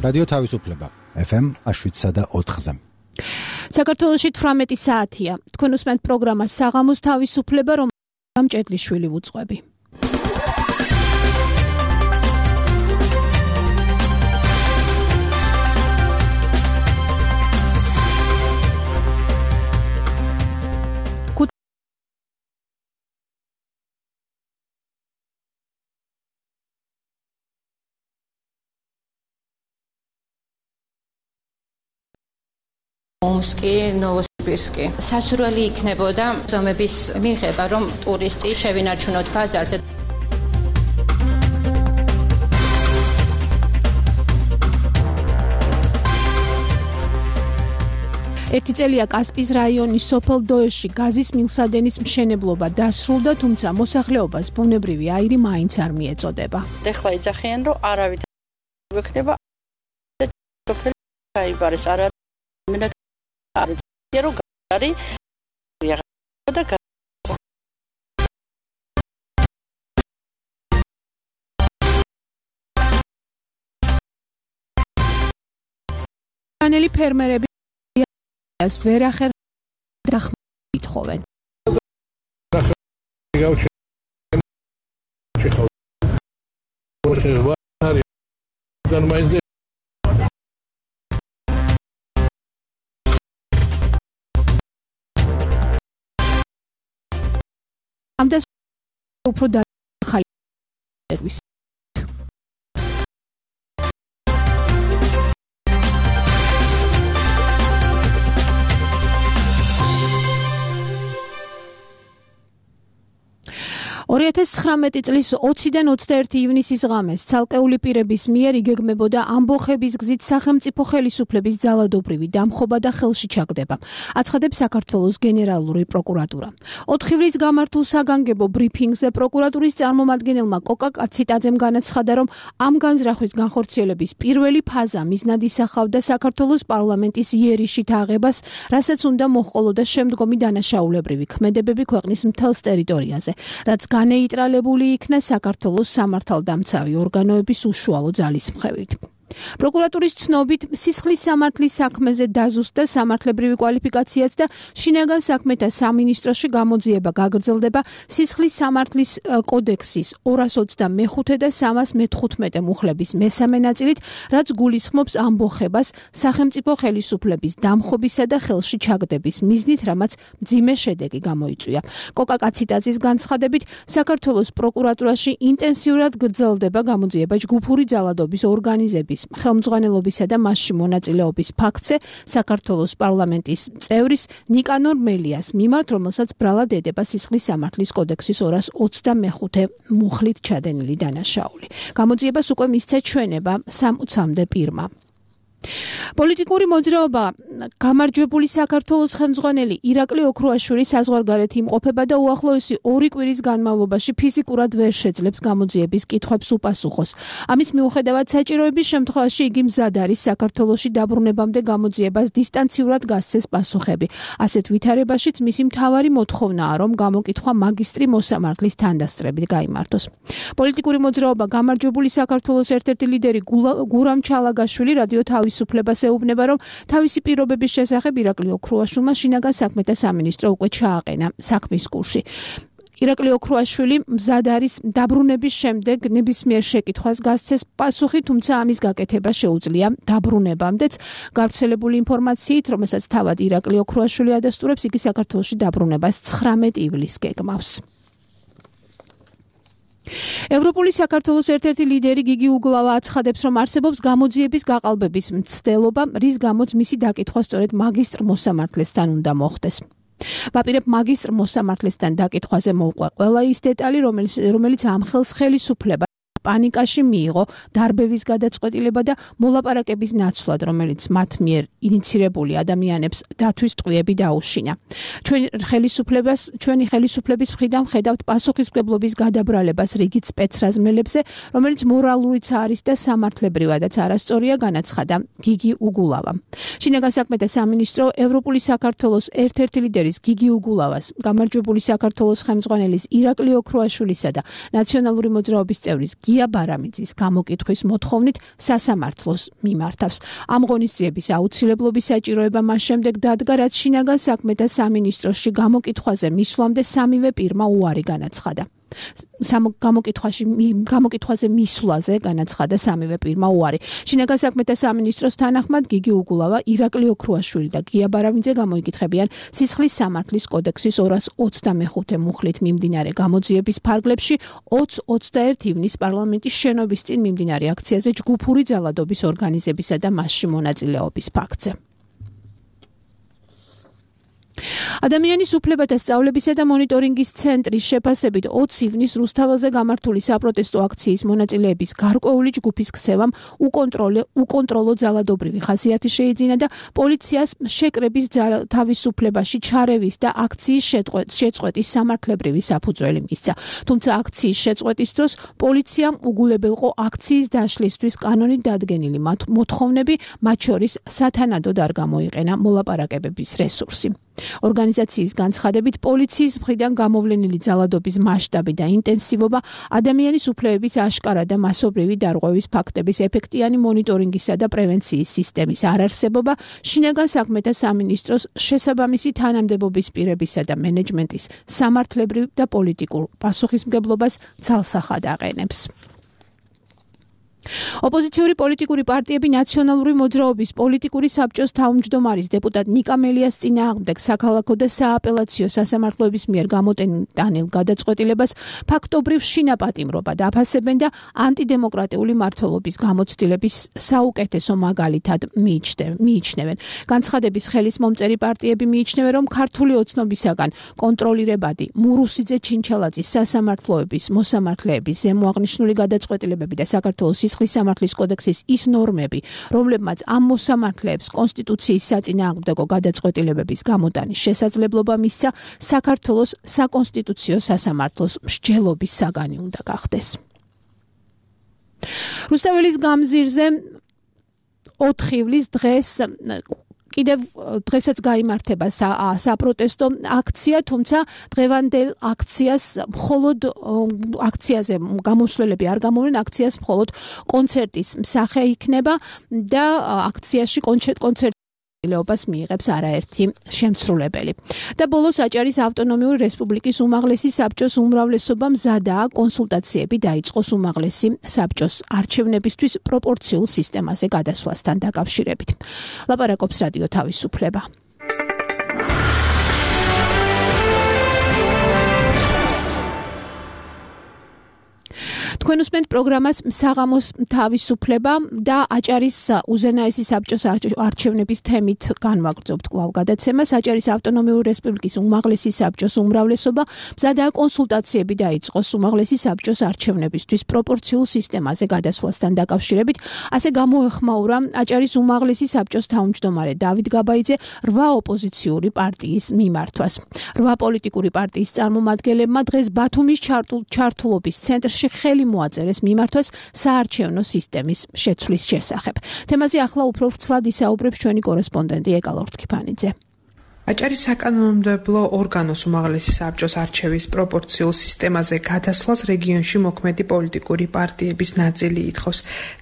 რადიო თავისუფლება FM 7.4-ზე. საქართველოში 18 საათია. თქვენ უსმენთ პროგრამას საღამოს თავისუფლება, რომ ჭედლიშვილი ვუძღვები. ომსკი, ნოვოსიბირსკი. სასურველი იქნებოდა ზომების მიღება, რომ ტურისტი შევინარჩუნოთ ბაზარზე. ერთი წელია კასპიის რაიონის სოფელ დოეში გაზის მილსადენის მშენებლობა დასრულდა, თუმცა მოსახლეობას ბუნებრივი აირი მაინც არ მიეწოდება. ეხლა იძახიან, რომ არავით ვექნება სოფელი გაიბარეს, არა რომ გარი და განელი ფერმერები ვერ ახერ დახმარებითხოვენ. ამ და უფრო დახალი ერვის წლის 20-დან 21 ივნისის ღამეს ცალკეული პირების მიერ იგეგმებოდა ამბოხების გზით სახელმწიფო ხელისუფლების ძალადობრივი დამხობა და ხელში ჩაგდება. აცხადებს საქართველოს გენერალური პროკურატურა. 4 ივრის გამართულ საგანგებო ბრიფინგზე პროკურატურის წარმომადგენელმა კოკა კაციტაძემ განაცხადა, რომ ამ განზრახვის განხორციელების პირველი ფაზა მიზნად ისახავდა საქართველოს პარლამენტის იერიშით აღებას, რასაც უნდა მოჰყოლოდა შემდგომი დანაშაულებრივი ქმედებები ქვეყნის მთელს ტერიტორიაზე, რაც განეიტრალებული იქნა საქართველოს სამართალდამცავი ორგანოების უშუალო ძალისმხევით. პროკურატურის ცნობით, სისხლის სამართლის საქმეზე დაზუსტდა სამართლებრივი კვალიფიკაციაც და შინაგან საქმეთა სამინისტროში გამოძიება გაგრძელდება სისხლის სამართლის კოდექსის 225 და 315 მუხლების მესამე ნაწილით, რაც გულისხმობს ამბოხებას სახელმწიფო ხელისუფლების დამხობისა და ხელში ჩაგდების მიზნით, რამაც მძიმე შედეგი გამოიწვია. კოკა კაციტაძის განცხადებით, საქართველოს პროკურატურაში ინტენსიურად გრძელდება გამოძიება ჯგუფური ძალადობის ორგანიზების ხელმძღვანელობისა და მასში მონაწილეობის ფაქტზე საქართველოს პარლამენტის წევრის ნიკანორ მელიას მიმართ, რომელსაც ბრალად ედება სისხლის სამართლის კოდექსის 225 მუხლით ჩადენილი დანაშაული. გამოძიებას უკვე მისცა ჩვენება 60-მდე პირმა. პოლიტიკური მოძრაობა გამარჯვებული საქართველოს ხელმძღვანელი ირაკლი ოქრუაშვილი საზღვარგარეთ იმყოფება და უახლოესი 2 კვირის განმავლობაში ფიზიკურად ვერ შეძლებს გამოძიების კითხვებს უპასუხოს. ამის მიუხედავად საჭიროების შემთხვევაში იგი მზად არის საქართველოში დაბრუნებამდე გამოძიებას დისტანციურად გასცეს პასუხები. ასეთ ვითარებაშიც მისი მთავარი მოთხოვნაა, რომ გამოკითხვა მაგისტრი მოსამართლის თანდასწრებით გაიმართოს. პოლიტიკური მოძრაობა გამარჯვებული საქართველოს ერთ-ერთი ლიდერი გურამ ჩალაგაშვილი რადიო თავისუფლებას ეუბნება, რომ თავისი პირობების შესახებ ირაკლი ოქრუაშვილმა შინაგან საქმეთა სამინისტრო უკვე ჩააყენა საქმის კურსი. ირაკლი ოქრუაშვილი მზად არის დაბრუნების შემდეგ ნებისმიერ შეკითხვას გასცეს პასუხი, თუმცა ამის გაკეთება შეუძლია დაბრუნებამდეც. გავრცელებული ინფორმაციით, რომელსაც თავად ირაკლი ოქრუაშვილი ადასტურებს, იგი საქართველოში დაბრუნებას 19 ივლისს გეგმავს. ევროპული საქართველოს ერთ-ერთი ლიდერი გიგი უგლავა აცხადებს, რომ არსებობს გამოძიების გაყალბების მცდელობა, რის გამოც მისი დაკითხვა სწორედ მაგისტრ მოსამართლესთან უნდა მოხდეს. ვაპირებ მაგისტრ მოსამართლესთან დაკითხვაზე მოვყვა ყველა ის დეტალი, რომელიც ამ ხელს ხელისუფლება პანიკაში მიიღო დარბევის გადაწყვეტილება და მოლაპარაკების ნაცვლად, რომელიც მათ მიერ ინიცირებული ადამიანებს დათვის ტყვიები დაუშინა. ჩვენი ხელისუფლების მხრიდან ვხედავთ პასუხისმგებლობის გადაბრალებას რიგით სპეცრაზმელებზე, რომელიც მორალურიც არის და სამართლებრივადაც არასწორია, განაცხადა გიგი უგულავა. შინაგან საქმეთა სამინისტრო ევროპული საქართველოს ერთ-ერთი ლიდერის გიგი უგულავას, გამარჯვებული საქართველოს ხელმძღვანელის ირაკლი ოქრუაშვილისა და ნაციონალური მოძრაობის წევრის გია ბარამიძის გამოკითხვის მოთხოვნით სასამართლოს მიმართავს. ამ ღონისძიების აუცილებლობის საჭიროება მას შემდეგ დადგა, რაც შინაგან საქმეთა სამინისტროში გამოკითხვაზე მისვლამდე სამივე პირმა უარი განაცხადა. გამოკითხვაზე მისვლაზე განაცხადა სამივე პირმა უარი. შინაგან საქმეთა სამინისტროს თანახმად გიგი უგულავა, ირაკლი ოქრუაშვილი და გია ბარამიძე გამოიკითხებიან სისხლის სამართლის კოდექსის 225 მუხლით მიმდინარე გამოძიების ფარგლებში 20-21 ივნის პარლამენტის შენობის წინ მიმდინარე აქციაზე ჯგუფური ძალადობის ორგანიზებისა და მასში მონაწილეობის ფაქტზე. ადამიანის უფლებათა სწავლებისა და მონიტორინგის ცენტრის შეფასებით 20 ივნის რუსთაველზე გამართული საპროტესტო აქციის მონაწილეების გარკვეული ჯგუფის ქცევამ უკონტროლო ძალადობრივი ხასიათი შეიძინა და პოლიციას შეკრების თავისუფლებაში ჩარევის და აქციის შეწყვეტის სამართლებრივი საფუძველი მისცა. თუმცა აქციის შეწყვეტის დროს პოლიციამ უგულებელყო აქციის დაშლისთვის კანონით დადგენილი მოთხოვნები, მათ შორის სათანადოდ არ გამოიყენა მოლაპარაკებების რესურსი. ორგანიზაციის განცხადებით პოლიციის მხრიდან გამოვლენილი ძალადობის მასშტაბი და ინტენსივობა, ადამიანის უფლებების აშკარა და მასობრივი დარღვევის ფაქტების ეფექტიანი მონიტორინგისა და პრევენციის სისტემის არარსებობა, შინაგან საქმეთა სამინისტროს შესაბამისი თანამდებობის პირებისა და მენეჯმენტის სამართლებრივ და პოლიტიკურ პასუხისმგებლობას ძალსახად აყენებს. ოპოზიციური პოლიტიკური პარტიები ნაციონალური მოძრაობის პოლიტიკური საბჭოს თავმჯდომარის დეპუტატ ნიკა მელიას წინააღმდეგ საქალაქო და სააპელაციო სასამართლოების მიერ გამოტანილ გადაწყვეტილებას ფაქტობრივ შინაპატიმრობად აფასებენ და ანტიდემოკრატიული მმართველობის გამოცდილების საუკეთესო მაგალითად მიიჩნევენ. განცხადების ხელის მომწერი პარტიები მიიჩნევენ, რომ ქართული ოცნობისაგან კონტროლირებადი მურუსიძე ჩინჩალაძის სასამართლოების მოსამართლეების ზემოაღნიშნული გადაწყვეტილებები და საქართველოს სისხლის სამართლის კოდექსის ის ნორმები, რომლებმაც ამ მოსამართლეებს კონსტიტუციის საწინააღმდეგო გადაწყვეტილებების გამოტანის შესაძლებლობა მისცა, საქართველოს საკონსტიტუციო სასამართლოს მსჯელობის საგანი უნდა გახდეს. რუსთაველის გამზირზე 4 ივლის დღეს კიდევ დღესაც გაიმართება საპროტესტო აქცია, თუმცა დღევანდელ აქციას მხოლოდ აქციაზე გამოსვლელები არ გამოვიდნენ, აქციას მხოლოდ კონცერტის მსახე იქნება და აქციაში კონცერტილეობას მიიღებს არაერთი შემსრულებელი. და ბოლოს აჭარის ავტონომიური რესპუბლიკის უმაღლესი საბჭოს უმრავლესობა მზადაა კონსულტაციები დაიწყოს უმაღლესი საბჭოს არჩევნებისთვის პროპორციულ სისტემაზე გადასვლასთან დაკავშირებით. ლაპარაკობს რადიო თავისუფლება. თქვენ უსმენთ პროგრამას საღამოს თავისუფლება და აჭარის უზენაესი საბჭოს არჩევნების თემით განვაგრძობთ კვლავ გადაცემას. აჭარის ავტონომიური რესპუბლიკის უმაღლესი საბჭოს უმრავლესობა მზადაა კონსულტაციები დაიწყოს უმაღლესი საბჭოს არჩევნებისთვის პროპორციულ სისტემაზე გადასვლასთან დაკავშირებით. ასე გამოეხმაურა აჭარის უმაღლესი საბჭოს თავმჯდომარე დავით გაბაიძე 8 ოპოზიციური პარტიის მიმართვას. 8 პოლიტიკური პარტიის წარმომადგენლებმა დღეს ბათუმის ჩართულობის ცენტრში ხელი მოაწერეს მიმართვას საარჩევნო სისტემის შეცვლის შესახებ. თემაზე ახლა უფრო ვრცლად ისაუბრებს ჩვენი კორესპონდენტი ეკალ ორთქიფანიძე. აჭარის საკანონმდებლო ორგანოს უმაღლესი საბჭოს არჩევის პროპორციულ სისტემაზე გადასვლას რეგიონში მოქმედი პოლიტიკური პარტიების ნაწილი ითხოვს.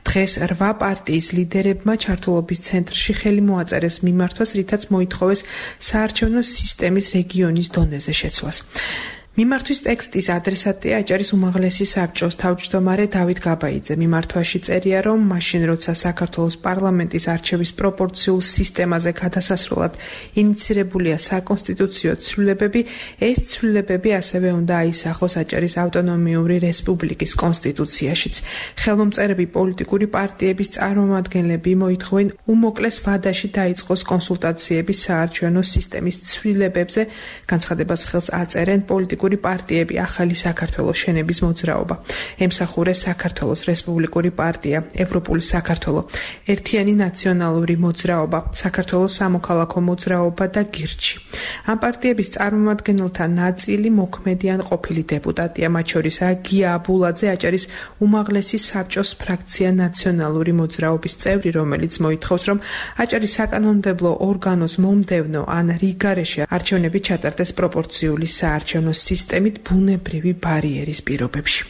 დღეს 8 პარტიის ლიდერებმა ჩართულობის ცენტრში ხელი მოაწერეს მიმართვას, რითაც მოითხოვეს საარჩევნო სისტემის რეგიონის დონეზე შეცვლას. მიმართვის ტექსტის ადრესატია აჭარის უმაღლესი საბჭოს თავმჯდომარე დავით გაბაიძე. მიმართვაში წერია, რომ მაშინ როცა საქართველოს პარლამენტის არჩევის პროპორციულ სისტემაზე გადასასრულად ინიცირებულია საკონსტიტუციო ცვლილებები, ეს ცვლილებები ასევე უნდა აისახოს აჭარის ავტონომიური რესპუბლიკის კონსტიტუციაშიც. ხელმომწერები პოლიტიკური პარტიების წარმომადგენლები მოითხოვენ უმოკლეს ვადაში დაიწყოს კონსულტაციები საარჩევნო სისტემის ცვლილებებზე. განცხადებას ხელს აწერენ პოლიტიკური პარტიები ახალი საქართველოს შენების მოძრაობა, ემსახურეს საქართველოს რესპუბლიკური პარტია, ევროპული საქართველო, ერთიანი ნაციონალური მოძრაობა, საქართველოს სამოქალაქო მოძრაობა და გირჩი. ამ პარტიების წარმომადგენელთა ნაწილი მოქმედიან ყოფილი დეპუტატია, მათ შორისაა გია აბულაძე, აჭარის უმაღლესი საბჭოს ფრაქცია ნაციონალური მოძრაობის წევრი, რომელიც მოითხოვს, რომ აჭარის საკანონმდებლო ორგანოს მომდევნო ან რიგარეში არჩევნები ჩატარდეს პროპორციული საარჩევნო სისტემით ბუნებრივი ბარიერის პირობებში.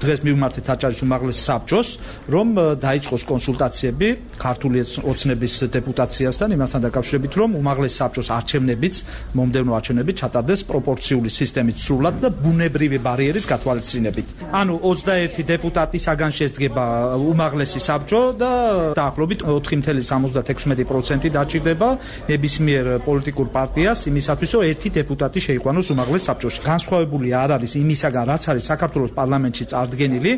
დღეს მივმართეთ აჭარის უმაღლეს საბჭოს, რომ დაიწყოს კონსულტაციები ქართული ოცნების დეპუტაციასთან იმასთან დაკავშირებით, რომ უმაღლეს საბჭოს არჩევნებიც, მომდევნო არჩევნები ჩატარდეს პროპორციული სისტემით სრულად და ბუნებრივი ბარიერის გათვალისწინებით. ანუ 21 დეპუტატისაგან შედგება უმაღლესი საბჭო და დაახლოებით 4.76% დაჭირდება ნებისმიერ პოლიტიკურ პარტიას იმისათვის, რომ ერთი დეპუტატი შეიყვანოს უმაღლეს საბჭოში. განსხვავებული არ არის იმისაგან, რაც არის საქართველოს პარლამენტში წარდგენილი,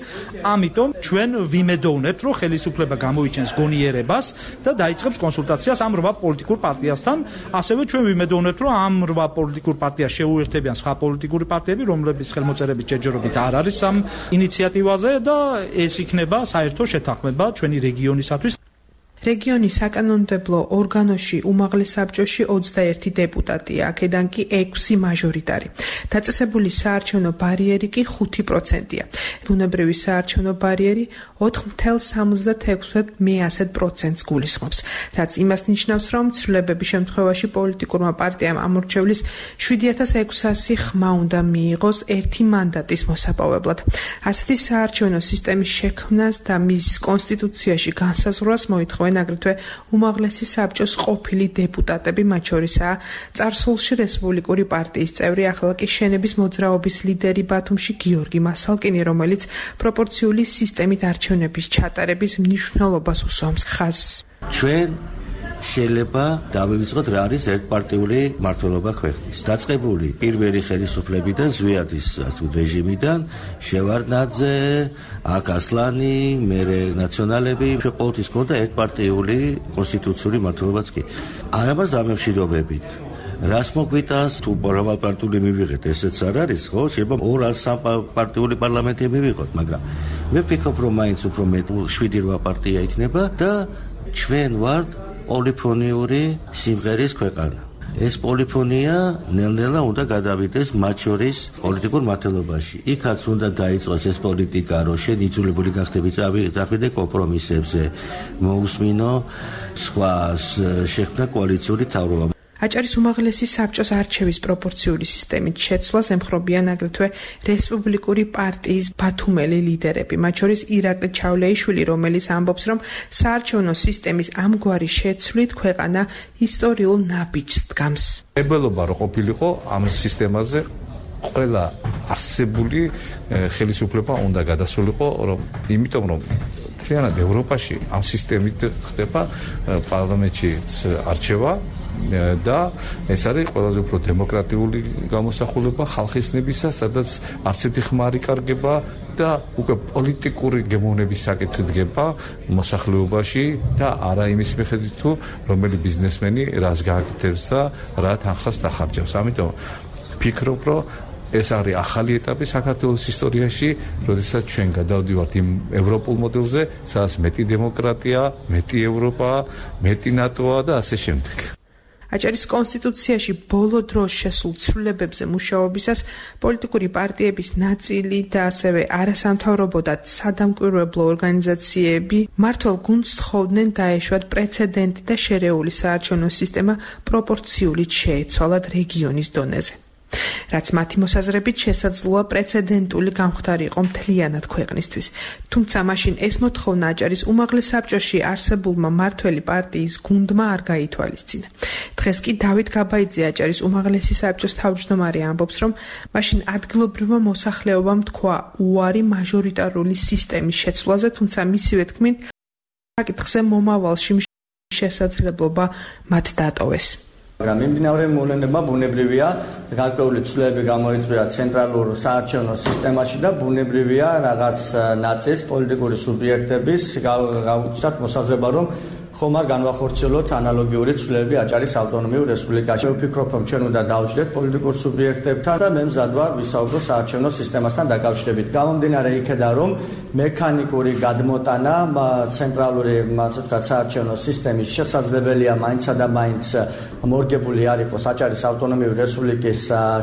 ამიტომ ჩვენ ვიმედოვნებთ, რომ ხელისუფლება გამოვიჩენს გონიერებას და დაიწყებს კონსულტაციას ამ 8 პოლიტიკურ პარტიასთან. ასევე ჩვენ ვიმედოვნებთ, რომ ამ 8 პოლიტიკურ პარტიას შეუერთებიან სხვა პოლიტიკური პარტიები, რომლების ხელმოწერების ჯერჯერობით არ არის ამ ინიციატივაზე და ეს იქნება საერთო შეთანხმება ჩვენი რეგიონისათვის. რეგიონის საკანონმდებლო ორგანოში უმაღლეს საბჭოში 21 დეპუტატია, აქედან კი 6 მაჟორიტარი. დაწესებული საარჩევნო ბარიერი კი 5%-ია. ბუნებრივი საარჩევნო ბარიერი 4.76%-ს გულისხმობს, რაც იმას ნიშნავს, რომ ცვლილებების შემთხვევაში პოლიტიკურმა პარტიამ ამორჩევლის 7600 ხმა უნდა მიიღოს ერთი მანდატის მოსაპოვებლად. ასეთი საარჩევნო სისტემის შექმნას და მის კონსტიტუციაში განსაზღვრას მოითხოვენ აგრეთვე უმაღლესი საბჭოს ყოფილი დეპუტატები, მათ შორისაა წარსულში რესპუბლიკური პარტიის წევრი, ახლა კი შენების მოძრაობის ლიდერი ბათუმში გიორგი მასალკინი, რომელიც პროპორციული სისტემით არჩევნების ჩატარების მნიშვნელობას უსვამს ხაზს. ჩვენ შეიძლება დავივიწყოთ რა არის ერთპარტიული მმართველობა ქვეყნის. დაწყებული პირველი ხელისუფლებიდან, ზვიადის რეჟიმიდან, შევარდნაძე, აქ ასლანი, მერე ნაციონალები, ყოველთვის ჰქონდა ერთპარტიული კონსტიტუციური მმართველობაც კი. ამას დამემშვიდობებით. რას მოგვიტანს თუ მრავალპარტიული მივიღეთ, ესეც არ არის, ხო? შეიძლება 2-3 პარტიული პარლამენტი მივიღოთ, მაგრამ მე ვფიქრობ, რომ მაინც უფრო მეტ 7-8 პარტია იქნება და ჩვენ ვართ პოლიფონიური სიმღერის ქვეყანა. ეს პოლიფონია ნელ-ნელა უნდა გადავიდეს მათ შორის პოლიტიკურ მმართველობაში. იქაც უნდა დაიწყოს ეს პოლიტიკა, რომ შენ იძულებული გახდები წავიდე კომპრომისებზე, მოусმინო სხვა შექმნა კოალიციური თავრობა. აჭარის უმაღლესი საბჭოს არჩევის პროპორციული სისტემით შეცვლას ემხრობიან აგრეთვე რესპუბლიკური პარტიის ბათუმელი ლიდერები, მათ შორის ირაკლი ჩავლეიშვილი, რომელიც ამბობს, რომ საარჩევნო სისტემის ამგვარი შეცვლით ქვეყანა ისტორიულ ნაბიჯს დგამს. ებელობა რო ყოფილიყო ამ სისტემაზე ყველა არსებული ხელისუფლება უნდა გადასულიყო, იმიტომ რომ მთლიანად ევროპაში ამ სისტემით ხდება პარლამენტში არჩევა და ეს არის ყველაზე უფრო დემოკრატიული გამოსახულება ხალხის ნებისა, სადაც არც ერთი ხმა არ იკარგება და უკვე პოლიტიკური გემოვნების საკითხი დგება მოსახლეობაში და არა იმის მიხედვით თუ რომელი ბიზნესმენი რას გააკეთებს და რა თანხას დახარჯავს. ამიტომ ფიქრობ, რომ ეს არის ახალი ეტაპი საქართველოს ისტორიაში, როდესაც ჩვენ გადავდივართ იმ ევროპულ მოდელზე, სადაც მეტი დემოკრატია, მეტი ევროპა, მეტი ნატოა და ასე შემდეგ. აჭარის კონსტიტუციაში ბოლო დროს შესულ ცვლილებებზე მუშაობისას პოლიტიკური პარტიების ნაწილი და ასევე არასამთავრობო და სადამკვირვებლო ორგანიზაციები მმართველ გუნდს თხოვდნენ დაეშვათ პრეცედენტი და შერეული საარჩევნო სისტემა პროპორციულით შეეცვალათ რეგიონის დონეზე. რაც მათი მოსაზრებით შესაძლოა პრეცედენტული გამხდარი იყო მთლიანად ქვეყნისთვის. თუმცა მაშინ ეს მოთხოვნა აჭარის უმაღლეს საბჭოში არსებულმა მმართველი პარტიის გუნდმა არ გაითვალისწინა. დღეს კი დავით გაბაიძე, აჭარის უმაღლესი საბჭოს თავმჯდომარე, ამბობს, რომ მაშინ ადგილობრივმა მოსახლეობამ თქვა უარი მაჟორიტარული სისტემის შეცვლაზე, თუმცა მისივე თქმით, საკითხზე მომავალში შესაძლებლობა მათ დატოვეს. მაგრამ მიმდინარე მოვლენებმა ბუნებრივია გარკვეული ცვლილებები გამოიწვია ცენტრალურ საარჩევნო სისტემაში და ბუნებრივია რაღაც ნაწილს პოლიტიკური სუბიექტების გაუჩნდათ მოსაზრება, რომ ხომ არ განვახორციელოთ ანალოგიური ცვლილებები აჭარის ავტონომიურ რესპუბლიკაში. ვფიქრობ, რომ ჩვენ უნდა დავჭრეთ პოლიტიკურ სუბიექტებთან და მე მზად ვარ ვისაუბრო საარჩევნო სისტემასთან დაკავშირებით. გამომდინარე იქედან, რომ მექანიკური გადმოტანა ცენტრალური საარჩევნო სისტემის შესაძლებელია მაინცსა და მაინც მორგებული არ იყოს აჭარის ავტონომიური რესპუბლიკის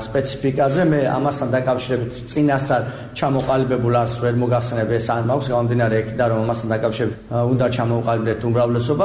სპეციფიკაზე. მე ამასთან დაკავშირებით წინასწარ ჩამოყალიბებულ არს ვერ მოგახსენებ, ეს არ მაქვს. გამომდინარე იქედან, რომ ამასთან დაკავშირებით უნდა ჩამოვყალიბდეთ უმრავლესობა.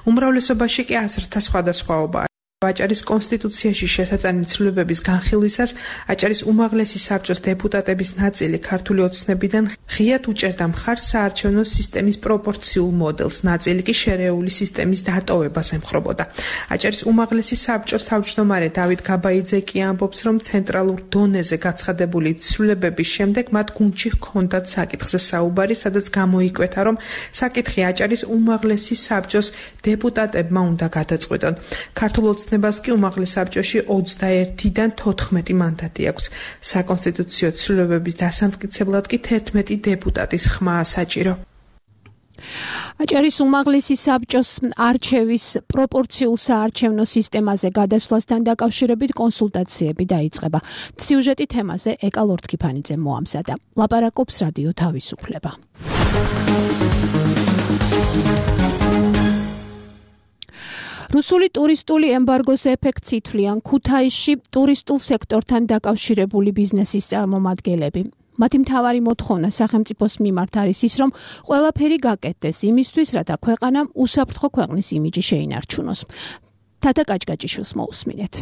უმრავლესობაში კი აზრთა სხვადასხვაობა აჭარის კონსტიტუციაში შესატანილი ცვლილებების განხილვისას აჭარის უმაღლესი საბჭოს დეპუტატების ნაწილი ქართული ოცნებიდან ღიად უჭერდა მხარს საარჩევნო სისტემის პროპორციულ მოდელს, ნაწილი კი შერეული სისტემის დატოვებას ემხრობოდა. აჭარის უმაღლესი საბჭოს თავმჯდომარე დავით გაბაიძე კი ამბობს, რომ ცენტრალურ დონეზე გაცხადებული ცვლილებების შემდეგ მათ გუნდში ჰქონდათ საკითხზე საუბარი, სადაც გამოიკვეთა, რომ საკითხი აჭარის უმაღლესი საბჭოს დეპუტატებმა უნდა გადაწყვეტონ. ქართულ ოცნებას კი უმაღლეს საბჭოში 21-დან 14 მანდატი აქვს. საკონსტიტუციო ცვლილებების დასამტკიცებლად კი 11 დეპუტატის ხმაა საჭირო. აჭარის უმაღლესი საბჭოს არჩევის პროპორციულ საარჩევნო სისტემაზე გადასვლასთან დაკავშირებით კონსულტაციები დაიწყება. სიუჟეტი თემაზე ეკა ლორთქიფანიძე მოამზადა. ლაპარაკობს რადიო თავისუფლება. რუსული ტურისტული ემბარგოს ეფექტს ითვლიან ქუთაისში ტურისტულ სექტორთან დაკავშირებული ბიზნესის წარმომადგენლები. მათი მთავარი მოთხოვნა სახელმწიფოს მიმართ არის ის, რომ ყველაფერი გაკეთდეს იმისთვის, რათა ქვეყანამ უსაფრთხო ქვეყნის იმიჯი შეინარჩუნოს. თათა კაჭკაჭიშვილს მოусმინეთ.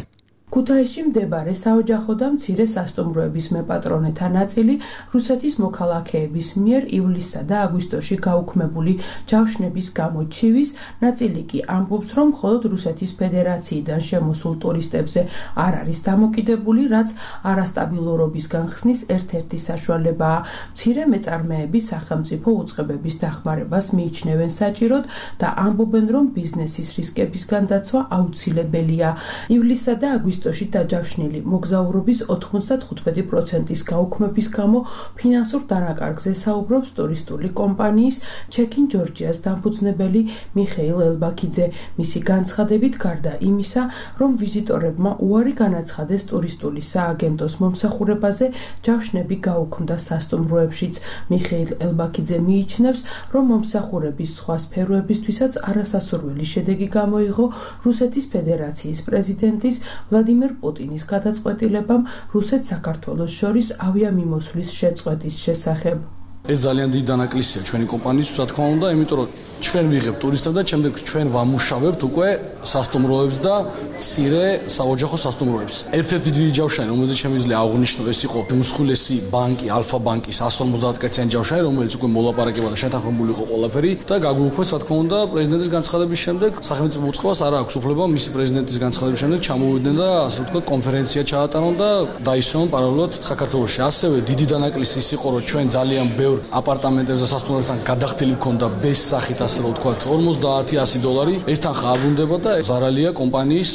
ქუთაისში მდებარე საოჯახო და მცირე სასტუმროების მეპატრონეთა ნაწილი რუსეთის მოქალაქეების მიერ ივლისსა და აგვისტოში გაუქმებული ჯავშნების გამო ჩივის, ნაწილი კი ამბობს, რომ მხოლოდ რუსეთის ფედერაციიდან შემოსულ ტურისტებზე არ არის დამოკიდებული, რაც არასტაბილურობის განხსნის ერთ-ერთი საშუალებაა. მცირე მეწარმეები სახელმწიფო უწყებების დახმარებას მიიჩნევენ საჭიროდ და ამბობენ, რომ ბიზნესის რისკებისგან დაცვა აუცილებელია. ივლისსა და აგვისტოში დაჯავშნილი მოგზაურობის 95%-ის გაუქმების გამო ფინანსურ დანაკარგზე საუბრობს ტურისტული კომპანიის ჩეკინ ჯორჯიას დამფუძნებელი მიხეილ ელბაქიძე. მისი განცხადებით, გარდა იმისა, რომ ვიზიტორებმა უარი განაცხადეს ტურისტული სააგენტოს მომსახურებაზე, ჯავშნები გაუქმდა სასტუმროებშიც. მიხეილ ელბაქიძე მიიჩნევს, რომ მომსახურების სხვა სფეროებისთვისაც არასასურველი შედეგი გამოიღო რუსეთის ფედერაციის პრეზიდენტის ვლადიმერ პუტინის გადაწყვეტილებამ რუსეთ-საქართველოს შორის ავიამიმოსვლის შეწყვეტის შესახებ. ეს ძალიან დიდი დანაკლისია ჩვენი კომპანიისთვის, რა თქმა უნდა, იმიტომ რომ ჩვენ ვიღებთ ტურისტებს და შემდეგ ჩვენ ვამუშავებთ უკვე სასტუმროებს და მცირე საოჯახო სასტუმროებს. ერთ-ერთი დიდი ჯავშანი, რომელზეც შემიძლია აღვნიშნო, ეს იყო უმსხვილესი ბანკი, ალფა ბანკის 150-კაციანი ჯავშანი, რომელიც უკვე მოლაპარაკება და შეთანხმებული იყო ყველაფერი და გაგვიუქმეს, რა თქმა უნდა, პრეზიდენტის განცხადების შემდეგ სახელმწიფო უწყებას არ აქვს უფლება მისი პრეზიდენტის განცხადების შემდეგ ჩამოვიდნენ და ასე ვთქვათ კონფერენცია ჩაატარონ და დაისვენ პარალელურად საქართველოში. ასევე დიდი დანაკლისი ის იყო, რომ ჩვენ ძალიან ბევრ აპარტამენტებს და სასტუმროებთან გადახდილი გქონდა ბეს სახით, ასე რომ ვთქვათ, $50-100. ეს თანხა არ უნდა და ზარალია კომპანიის.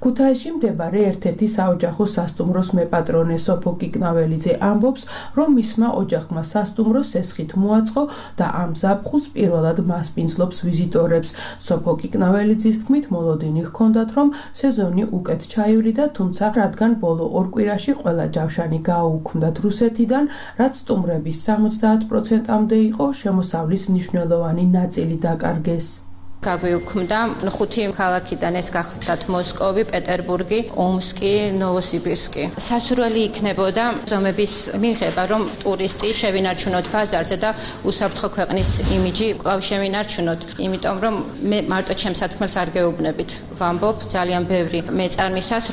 ქუთაისში მდებარე ერთ-ერთი საოჯახო სასტუმროს მეპატრონე სოფო კიკნაველიძე ამბობს, რომ მისმა ოჯახმა სასტუმრო სესხით მოაწყო და ამ ზაფხულს პირველად მასპინძლობს ვიზიტორებს. სოფო კიკნაველიძის თქმით, მოლოდინი ჰქონდათ, რომ სეზონი უკეთ ჩაივლიდა, თუმცა რადგან ბოლო ორ კვირაში ყველა ჯავშანი გააუქმდათ რუსეთიდან, რაც სტუმრების 70%-მდე იყო, შემოსავლის მნიშვნელოვანი ნაწილი დაკარგეს. გაგვიუქმდა 5 ქალაქიდან, ეს გახლდათ მოსკოვი, პეტერბურგი, ომსკი, ნოვოსიბირსკი. სასურველი იქნებოდა ზომების მიღება, რომ ტურისტი შევინარჩუნოთ ბაზარზე და უსაფრთხო ქვეყნის იმიჯი კვლავ შევინარჩუნოთ. იმიტომ რომ მე მარტო ჩემს სათქმელს არ გეუბნებით. ვამბობ ძალიან ბევრი მეწარმისას,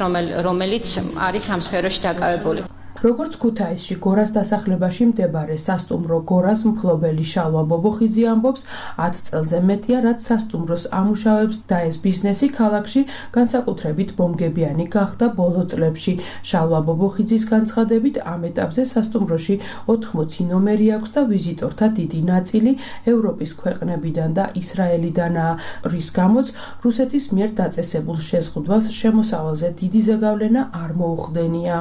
რომელიც არის ამ სფეროში დაკავებული. როგორც ქუთაისში გორას დასახლებაში მდებარე სასტუმრო გორას მფლობელი შალვა ბობოხიძე ამბობს, 10 წელზე მეტია, რაც სასტუმროს ამუშავებს და ეს ბიზნესი ქალაქში განსაკუთრებით ბომგებიანი გახდა ბოლო წლებში. შალვა ბობოხიძის განცხადებით, ამ ეტაპზე სასტუმროში 80 ნომერი აქვს და ვიზიტორთა დიდი ნაწილი ევროპის ქვეყნებიდან და ისრაელიდანაა, რის გამოც რუსეთის მიერ დაწესებულ შეზღუდვას შემოსავალზე დიდი ზეგავლენა არ მოუხდენია.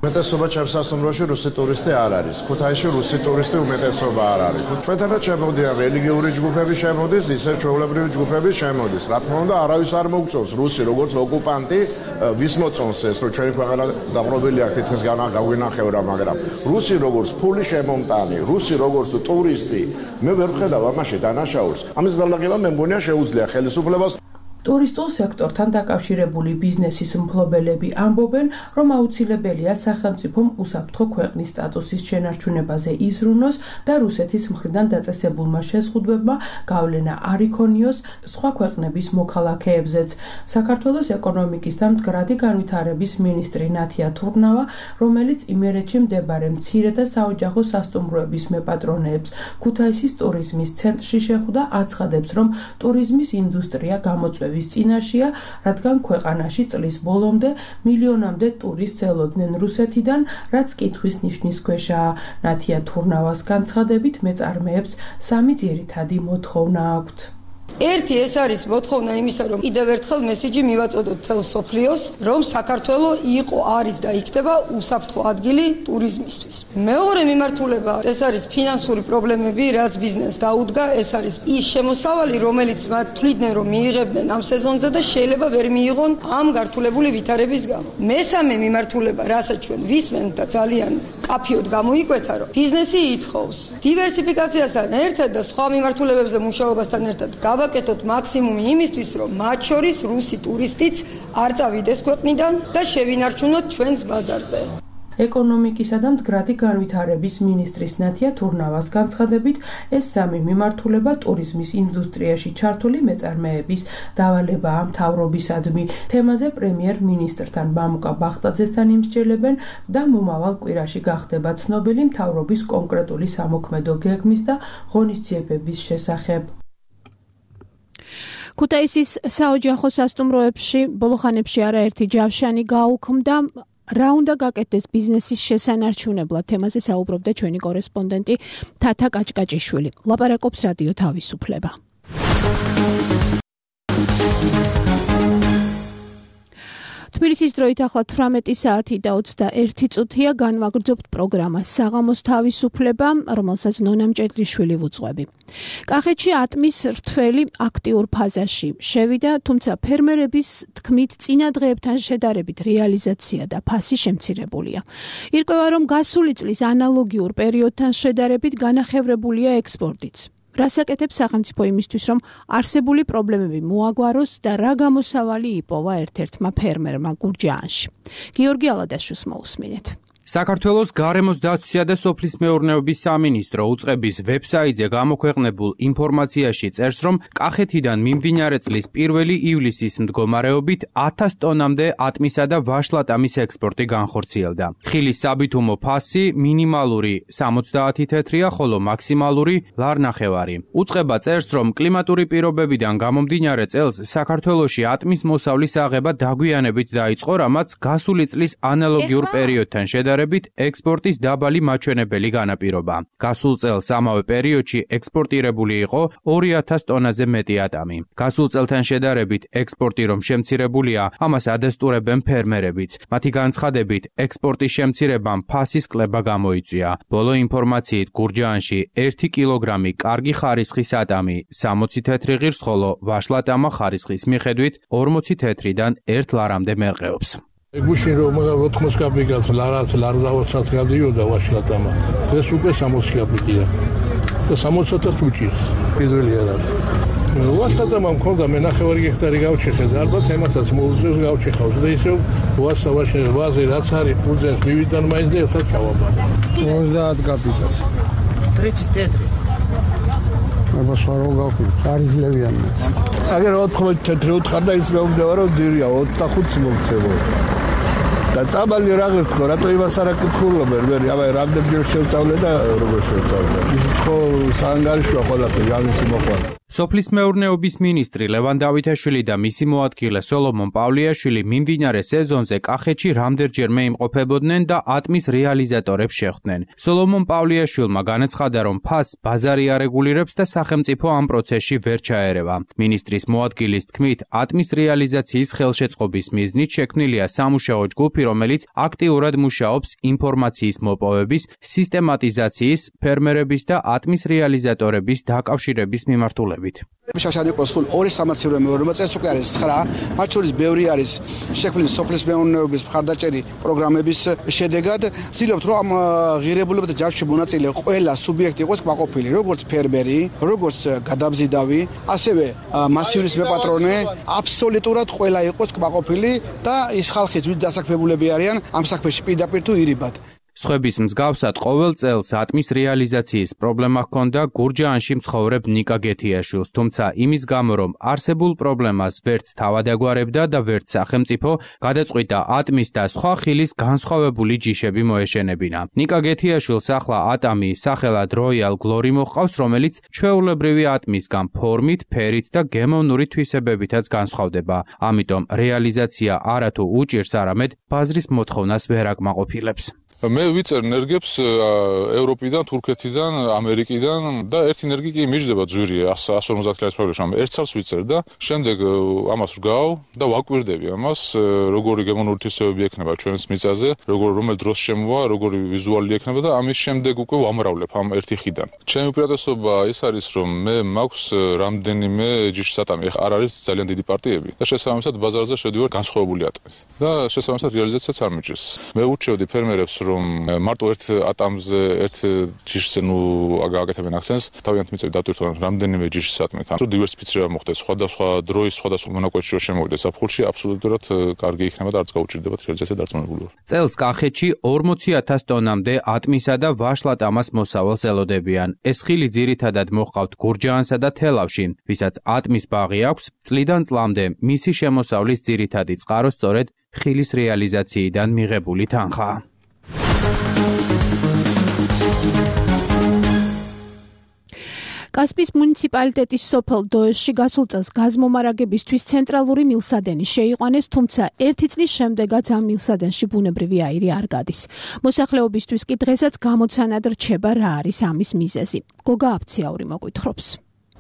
უმეტესობა ჩემს სასტუმროში რუსი ტურისტი არ არის. ქუთაისში რუსი ტურისტი უმეტესობა არ არის. ჩვენთანაც შემოდიან რელიგიური ჯგუფები შემოდის, ისე ჩვეულებრივი ჯგუფები შემოდის. რა თქმა უნდა, არავის არ მოგწონს რუსი როგორც ოკუპანტი, ვის მოწონს ეს, რომ ჩვენი ქვეყანა დაბრუნებული აქ თითქმის გაგვინახევრა, მაგრამ რუსი როგორც ფული შემომტანი, რუსი როგორც ტურისტი, მე ვერ ვხედავ ამაში დანაშაულს. ამის განლაგება მე მგონია შეუძლია ხელისუფლებას. ტურისტულ სექტორთან დაკავშირებული ბიზნესის მფლობელები ამბობენ, რომ აუცილებელია სახელმწიფომ უსაფრთხო ქვეყნის სტატუსის შენარჩუნებაზე იზრუნოს და რუსეთის მხრიდან დაწესებულმა შეზღუდვებმა გავლენა არ იქონიოს სხვა ქვეყნების მოქალაქეებზეც. საქართველოს ეკონომიკის და მდგრადი განვითარების მინისტრი ნათია თურნავა, რომელიც იმერეთში მდებარე მცირე და საოჯახო სასტუმროების მეპატრონეებს ქუთაისის ტურიზმის ცენტრში შეხვდა, აცხადებს, რომ ტურიზმის ინდუსტრია გამოწვევის წინაშეა, რადგან ქვეყანაში წლის ბოლომდე მილიონამდე ტურისტს ელოდნენ რუსეთიდან, რაც კითხვის ნიშნის ქვეშაა. ნათია თურნავას განცხადებით მეწარმეებს სამი ძირითადი მოთხოვნა აქვთ. ერთი ეს არის მოთხოვნა იმისა, რომ კიდევ ერთხელ მესიჯი მივაწოდოთ თელ სოფლიოს, რომ საქართველო იყო, არის და იქნება უსაფრთხო ადგილი ტურიზმისთვის. მეორე მიმართულება, ეს არის ფინანსური პრობლემები, რაც ბიზნესს დაუდგა, ეს არის ის შემოსავალი, რომელიც მათ თვლიდნენ, რომ მიიღებდნენ ამ სეზონზე და შეიძლება ვერ მიიღონ ამ გართულებული ვითარების გამო. მესამე მიმართულება, რასაც ჩვენ ვისმენთ და ძალიან კაფიოდ გამოიკვეთა, რომ ბიზნესი ითხოვს დივერსიფიკაციასთან ერთად და სხვა მიმართულებებზე მუშაობასთან ერთად გავაკეთოთ მაქსიმუმი იმისთვის, რომ მათ შორის რუსი ტურისტიც არ წავიდეს ქვეყნიდან და შევინარჩუნოთ ჩვენს ბაზარზე. ეკონომიკისა და მდგრადი განვითარების მინისტრის ნათია თურნავას განცხადებით, ეს სამი მიმართულება ტურიზმის ინდუსტრიაში ჩართული მეწარმეების დავალებაა მთავრობისადმი. თემაზე პრემიერ-მინისტრთან მამუკა ბახტაძესთან იმსჯელებენ და მომავალ კვირაში გახდება ცნობილი მთავრობის კონკრეტული სამოქმედო გეგმის და ღონისძიებების შესახებ. ქუთაისის საოჯახო სასტუმროებში ბოლო ხანებში არაერთი ჯავშანი გაუქმდა. რა უნდა გაკეთდეს ბიზნესის შესანარჩუნებლად? თემაზე საუბრობდა ჩვენი კორესპონდენტი თათა კაჭკაჭიშვილი. ლაპარაკობს რადიო თავისუფლება. თბილისის დროით ახლა 18 საათი და 21 წუთია, განვაგრძობთ პროგრამას საღამოს თავისუფლება, რომელსაც ნონა მჭედლიშვილი ვუძღვები. კახეთში ატმის რთველი აქტიურ ფაზაში შევიდა, თუმცა ფერმერების თქმით წინა დღეებთან შედარებით რეალიზაცია და ფასი შემცირებულია. ირკვევა, რომ გასული წლის ანალოგიურ პერიოდთან შედარებით განახევრებულია ექსპორტიც. რას აკეთებს სახელმწიფო იმისთვის, რომ არსებული პრობლემები მოაგვაროს და რა გამოსავალი იპოვა ერთ-ერთმა ფერმერმა გურჯაანში. გიორგი ალადაშვილს მოусმინეთ. საქართველოს გარემოს დაცვისა და სოფლის მეურნეობის სამინისტრო უწყების ვებსაიტზე გამოქვეყნებულ ინფორმაციაში წერს, რომ კახეთიდან მიმდინარე წლის 1 ივლისის მდგომარეობით 1000 ტონამდე ატმისა და ვაშლატამის ექსპორტი განხორციელდა. ხილის საბითუმო ფასი მინიმალური 70 თეთრია, ხოლო მაქსიმალური ლარნახევარი. უწყება წერს, რომ კლიმატური პირობებიდან გამომდინარე წელს საქართველოში ატმის მოსავლის აღება დაგვიანებით დაიწყო, რამაც გასული წლის ანალოგიურ პერიოდთან შედარებით ექსპორტის დაბალი მაჩვენებელი განაპირობა. გასულ წელს ამავე პერიოდში ექსპორტირებული იყო 2000 ტონაზე მეტი ატამი. გასულ წელთან შედარებით ექსპორტი რომ შემცირებულია, ამას ადასტურებენ ფერმერებიც. მათი განცხადებით, ექსპორტის შემცირებამ ფასის კლება გამოიწვია. ბოლო ინფორმაციით გურჯაანში 1 კილოგრამი კარგი ხარისხის ატამი 60 თეთრი ღირს, ხოლო ვაშლატამა ხარისხის მიხედვით 40 თეთრიდან 1 ლარამდე მერყეობს. გუშინ რომ 80 კაპიკას ლარზავასაც გადიოდა ვაშლატამა. დღეს უკვე 60 კაპიკია. და 60-ს უჭირს. პირველი არა. ვაშლატამა მქონდა მენახევარი ჰექტარი გავჩეხე და ალბათ ემასაც მოუწევს გავჩეხავს და ისევ ვასავაშე ვაზე რაც არის ფუძენს მივიტან მაინც და ერთად ჩავაბარე. 30 კაპიკას. ტრიცი თეთრი. აბა სვარო გავხი. არიზლებიანიც. აგერ 80 თეთრი უთხარ და ის მეუბნება რომ ძირია 25 მოგცემო. და წაბალი რაღაც თქო, რატო იმას არ აკითხულობენ, მე აბა რამდენჯერ შევწავლე და როგორ შევწავლე. ის თქო საანგარიშოა ყველაფერი, ამისი მოყვა. სოფლის მეურნეობის მინისტრი ლევან დავითაშვილი და მისი მოადგილე სოლომონ პავლიაშვილი მიმდინარე სეზონზე კახეთში რამდენჯერმე იმყოფებოდნენ და ატმის რეალიზატორებს შეხვდნენ. სოლომონ პავლიაშვილმა განაცხადა, რომ ფასს ბაზარი არეგულირებს და სახელმწიფო ამ პროცესში ვერ ჩაერევა. მინისტრის მოადგილის თქმით, ატმის რეალიზაციის ხელშეწყობის მიზნით შექმნილია სამუშაო ჯგუფი, რომელიც აქტიურად მუშაობს ინფორმაციის მოპოვების, სისტემატიზაციის, ფერმერების და ატმის რეალიზატორების დაკავშირების მიმართულებით. მოთხრობებით. შაშანი იყოს სულ 2 სამაცივრო მეურნეობა წელს უკვე არის 9, მათ შორის ბევრი არის შექმნილი სოფლის მეურნეობის მხარდაჭერი პროგრამების შედეგად. ვცდილობთ რომ ამ ღირებულებათა ჯაშში მონაწილე ყველა სუბიექტი იყოს კმაყოფილი, როგორც ფერმერი, როგორც გადამზიდავი, ასევე მასივრის მეპატრონე, აბსოლუტურად ყველა იყოს კმაყოფილი და ის ხალხი, ვინც დასაქმებულები არიან ამ საქმეში პირდაპირ თუ ირიბად. სხვების მსგავსად ყოველ წელს ატმის რეალიზაციის პრობლემა ჰქონდა გურჯაანში მცხოვრებ ნიკა გეთიაშვილს, თუმცა იმის გამო, რომ არსებულ პრობლემას ვერც თავად აგვარებდა და ვერც სახელმწიფო, გადაწყვიტა ატმის და სხვა ხილის განსხვავებული ჯიშები მოეშენებინა. ნიკა გეთიაშვილს ახლა ატამი სახელად Royal Glory მოჰყავს, რომელიც ჩვეულებრივი ატმისგან ფორმით, ფერით და გემოვნური თვისებებითაც განსხვავდება. ამიტომ რეალიზაცია არათუ უჭირს, არამედ ბაზრის მოთხოვნას ვერ აკმაყოფილებს. მე ვიწერ ნერგებს ევროპიდან, თურქეთიდან, ამერიკიდან და ერთი ნერგი კი მიჯდება ძვირი 150 ლარის პრობლემაში. ერთ წელს ვიწერ და შემდეგ ამას ვგავ და ვაკვირდები ამას, როგორი გემოვნური თვისებები ექნება ჩვენს მიწაზე, რომელ დროს შემოვა, როგორი ვიზუალი ექნება და ამის შემდეგ უკვე ვამრავლებ ამ ერთი ხიდან. ჩემი უპირატესობა ის არის, რომ მე მაქვს რამდენიმე ჯიშის ატამი, არ არის ძალიან დიდი პარტიები და შესაბამისად ბაზარზე შედივარ განსხვავებული ატამით და შესაბამისად რეალიზაციაც არ მიჭირს. მე ურჩევდი ფერმერებს რომ მარტო ერთ ატამზე ერთ ჯიშზე აგაკეთებენ აქცენტს, თავიანთ მიწები დატვირთვან რამდენიმე ჯიშის ატმით. რომ დივერსიფიცირება მოხდეს, სხვადასხვა დროის, სხვადასხვა მონაკვეთში რომ შემოვიდეს საფხულში, აბსოლუტურად კარგი იქნება და არც გაუჭირდებათ რეალიზაცია დარწმუნებული ვარ. წელს კახეთში 40,000 ტონამდე ატმისა და ვაშლად ამას მოსავალს ელოდებიან. ეს ხილი ძირითადად მოჰყავთ გურჯაანსა და თელავში, ვისაც ატმის ბაღი აქვს, წლიდან წლამდე მისი შემოსავლის ძირითადი წყარო სწორედ ხილის რეალიზაციიდან მიღებული თანხაა. კასპიის მუნიციპალიტეტის სოფელ დოესში გასულ წელს გაზმომარაგებისთვის ცენტრალური მილსადენი შეიყვანეს, თუმცა ერთი წლის შემდეგაც ამ მილსადენში ბუნებრივი აირი არ გადის. მოსახლეობისთვის კი დღესაც გამოცანად რჩება რა არის ამის მიზეზი. გოგა აფციაური მოგვითხრობს.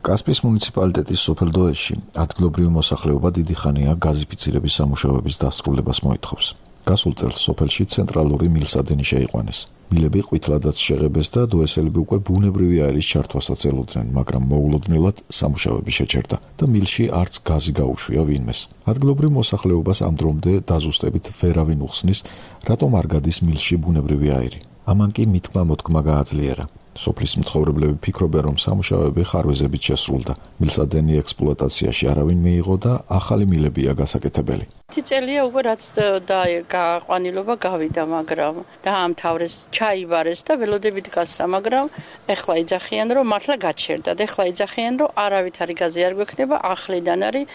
კასპიის მუნიციპალიტეტის სოფელ დოესში ადგილობრივი მოსახლეობა დიდი ხანია გაზიფიცირების სამუშაოების დასრულებას მოითხოვს. გასულ წელს სოფელში ცენტრალური მილსადენი შეიყვანეს. მილები ყვითლადაც შეღებეს და დოესელები უკვე ბუნებრივი აირის ჩართვასაც ელოდნენ, მაგრამ მოულოდნელად სამუშაოები შეჩერდა და მილში არც გაზი გაუშვია ვინმეს. ადგილობრივ მოსახლეობას ამ დრომდე დაზუსტებით ვერავინ უხსნის, რატომ არ გადის მილში ბუნებრივი აირი. ამან კი მითქმა მოთქმა გააძლიერა. სოფლის მცხოვრებლები ფიქრობენ, რომ სამუშაოები ხარვეზებით შესრულდა. მილსადენი ექსპლუატაციაში არავინ მიიღო და ახალი მილებია გასაკეთებელი. წელია უკვე რაც გაყვანილობა გავიდა, მაგრამ დაამთავრეს, ჩაიბარეს და ველოდებით გასცა, მაგრამ ეხლა იძახიან, რომ მართლა გაჩერდა და ეხლა იძახიან, რომ არავითარი გაზი არ გვექნება, ახლიდან არის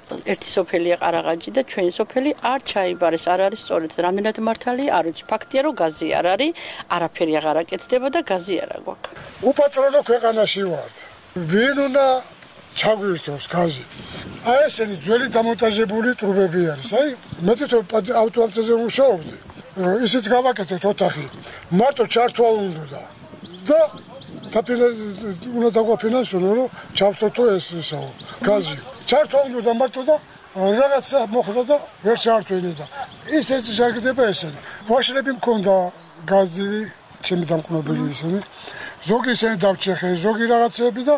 ერთი სოფელია ყარაღაჯი და ჩვენი სოფელი არ ჩაიბარეს, არ არის სწორედ რამდენად მართალია, არ ვიცი, ფაქტია რომ გაზი არ არის, არაფერი აღარ აკეთდება და გაზი არ აქვს. უპატრონო ქვეყანაში ვართ. ვინ უნდა ჩაგვირთოს გაზი? აი ესენი ძველი დამონტაჟებული ტრუბები არის. აი მე თვითონ ავტოამცაზე ვმუშაობდი. ისიც გავაკეთეთ ოთახი. მარტო ჩართვა უნდა და უნდა დაგვაფინანსოს, რომ ჩავსთო ეს გაზი. ჩართვა უნდა მარტო და რაღაცა მოხდა და ვერ ჩართვინე და ის ეს შეგდება ესენი. ვაშლები მქონდა გაზი, ჩემი დამკნობელი ისინი. ზოგი ისინი დავჭეხე, ზოგი რაღაცები და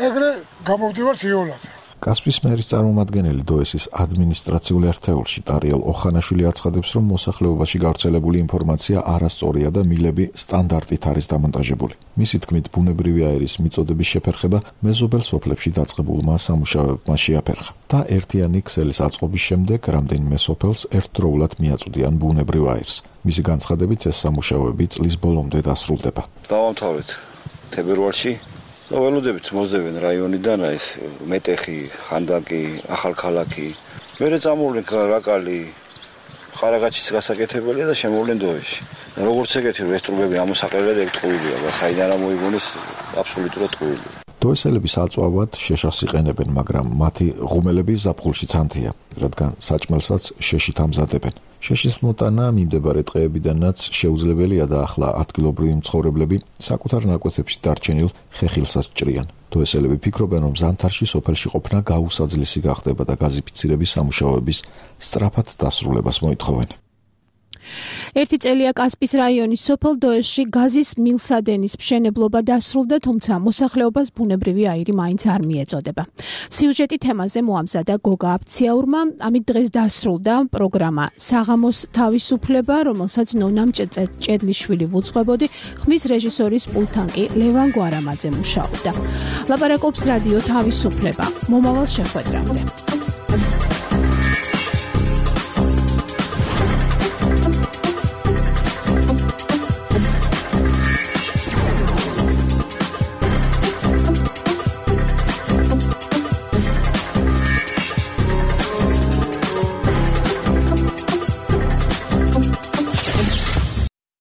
ეგრე გამოვდივართ იოლად. კასპიის მერის წარმომადგენელი დოესის ადმინისტრაციული ერთეულში ტარიელ ოხანაშვილი აცხადებს, რომ მოსახლეობაში გავრცელებული ინფორმაცია არასწორია და მილები სტანდარტით არის დამონტაჟებული. მისი თქმით, ბუნებრივი აირის მიწოდების შეფერხება მეზობელ სოფლებში დაწყებულმა სამუშაოებმა შეაფერხა და ერთიანი ქსელის აწყობის შემდეგ რამდენიმე სოფელს ერთდროულად მიაწვდიან ბუნებრივ აირს. მისი განცხადებით, ეს სამუშაოები წლის ბოლომდე დასრულდება. დავამთავრეთ თებერვალში. ველოდებით მოძებენ რაიონიდან ეს მეტეხი, ხანდაკი, ახალქალაქი. მერე წამოვლენ რაკალი, ყარაღაჩის გასაკეთებელია და შემოვლენ დოეში. როგორც ეგეთი რომ ეს ტრუბები ამოსაყრელად ეგ ტყუილია, საიდან მოიგონეს აბსოლუტურად ტყუილია. დოესელები საწვავად შეშას იყენებენ, მაგრამ მათი ღუმელები ზაფხულში ცანთია, რადგან საჭმელსაც შეშით ამზადებენ. შეშის მოტანა მიმდებარე ტყეებიდანაც შეუძლებელია და ახლა ადგილობრივი მცხოვრებლები საკუთარ ნაკვეთებში დარჩენილ ხეხილსაც ჭრიან. დოესელები ფიქრობენ, რომ ზამთარში სოფელში ყოფნა გაუსაძლისი გახდება და გაზიფიცირების სამუშაოების სწრაფად დასრულებას მოითხოვენ. ერთი წელია კასპის რაიონის სოფელ დოეში გაზის მილსადენის მშენებლობა დასრულდა, თუმცა მოსახლეობას ბუნებრივი აირი მაინც არ მიეწოდება. სიუჟეტი თემაზე მოამზადა გოგა აფციაურმა, ამით დღეს დასრულდა პროგრამა საღამოს თავისუფლება, რომელსაც ნონამ ჭედლიშვილი ვუძღვებოდი, ხმის რეჟისორის პულტთან კი ლევან გვარამაძე მუშაობდა. ლაპარაკობს რადიო თავისუფლება. მომავალ შეხვედრამდე.